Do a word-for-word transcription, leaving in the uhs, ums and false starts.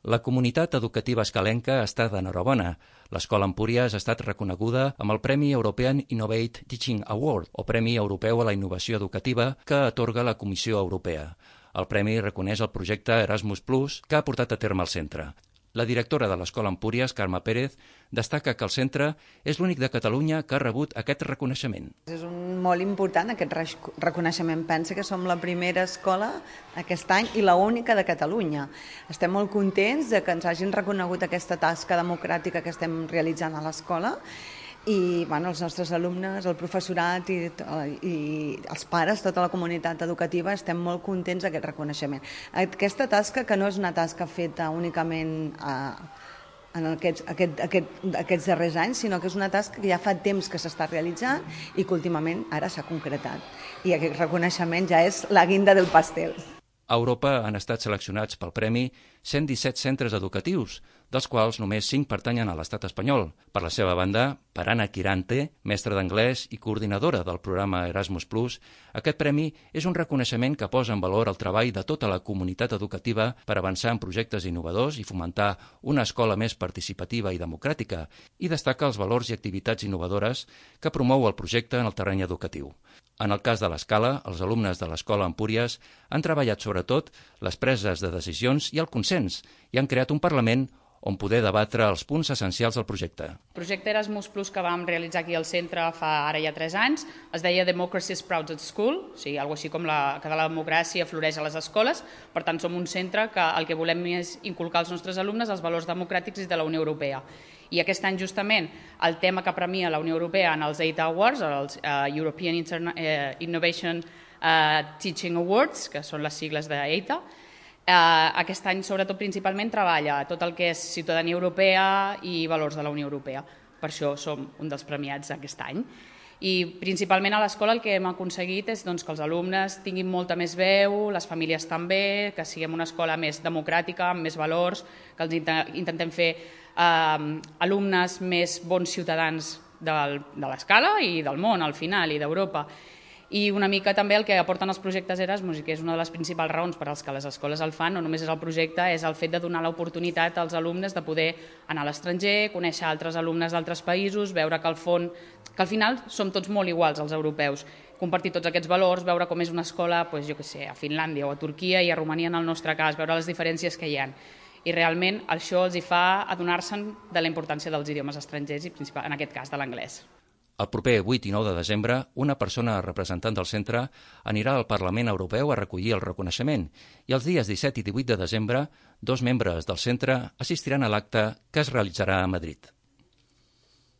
La comunitat educativa escalenca està d'enhorabona. L'Escola Empúries ha estat reconeguda amb el Premi European Innovate Teaching Award, o Premi Europeu a la Innovació Educativa, que atorga la Comissió Europea. El premi reconeix el projecte Erasmus plus, que ha portat a terme el centre. La directora de l'Escola Empúries, Carme Pérez, destaca que el centre és l'únic de Catalunya que ha rebut aquest reconeixement. És un molt important aquest reconeixement. Pensa que som la primera escola aquest any i l'única de Catalunya. Estem molt contents de que ens hagin reconegut aquesta tasca democràtica que estem realitzant a l'escola i bueno, els nostres alumnes, el professorat i, i els pares, tota la comunitat educativa, estem molt contents d'aquest reconeixement. Aquesta tasca que no és una tasca feta únicament a, en aquests, aquest, aquest, aquests darrers anys, sinó que és una tasca que ja fa temps que s'està realitzant i que últimament ara s'ha concretat. I aquest reconeixement ja és la guinda del pastel. A Europa han estat seleccionats pel premi cent disset centres educatius, dels quals només cinc pertanyen a l'estat espanyol. Per la seva banda, per Anna Quirante, mestra d'anglès i coordinadora del programa Erasmus plus, aquest premi és un reconeixement que posa en valor el treball de tota la comunitat educativa per avançar en projectes innovadors i fomentar una escola més participativa i democràtica, i destaca els valors i activitats innovadores que promou el projecte en el terreny educatiu. En el cas de l'escala, els alumnes de l'Escola Empúries han treballat sobretot les preses de decisions i el consens i han creat un Parlament on poder debatre els punts essencials del projecte. El projecte Erasmus plus que vam realitzar aquí al centre fa ara ja tres anys es deia Democracy Sprouts at School, o sigui, alguna cosa així com la, que la democràcia floreix a les escoles. Per tant, som un centre que el que volem és inculcar als nostres alumnes els valors democràtics de la Unió Europea. I aquest any, justament, el tema que premia la Unió Europea en els E I T Awards, els uh, European Interna uh, Innovation uh, Teaching Awards, que són les sigles d'E I T A, Uh, aquest any, sobretot, principalment treballa tot el que és ciutadania europea i valors de la Unió Europea. Per això som un dels premiats aquest any. I principalment a l'escola el que hem aconseguit és doncs, que els alumnes tinguin molta més veu, les famílies també, que siguem una escola més democràtica, amb més valors, que els intentem fer uh, alumnes més bons ciutadans del, de l'escala i del món, al final, i d'Europa. I una mica també el que aporten els projectes Erasmus, i que és una de les principals raons per als que les escoles el fan, no només és el projecte, és el fet de donar l'oportunitat als alumnes de poder anar a l'estranger, conèixer altres alumnes d'altres països, veure que al fons, que al final som tots molt iguals, els europeus, compartir tots aquests valors, veure com és una escola, doncs, jo què sé, a Finlàndia o a Turquia i a Romania en el nostre cas, veure les diferències que hi ha. I realment això els hi fa adonar-se'n de la importància dels idiomes estrangers i en aquest cas de l'anglès. El proper vuit i nou de desembre, una persona representant del centre anirà al Parlament Europeu a recollir el reconeixement i els dies disset i divuit de desembre, dos membres del centre assistiran a l'acte que es realitzarà a Madrid.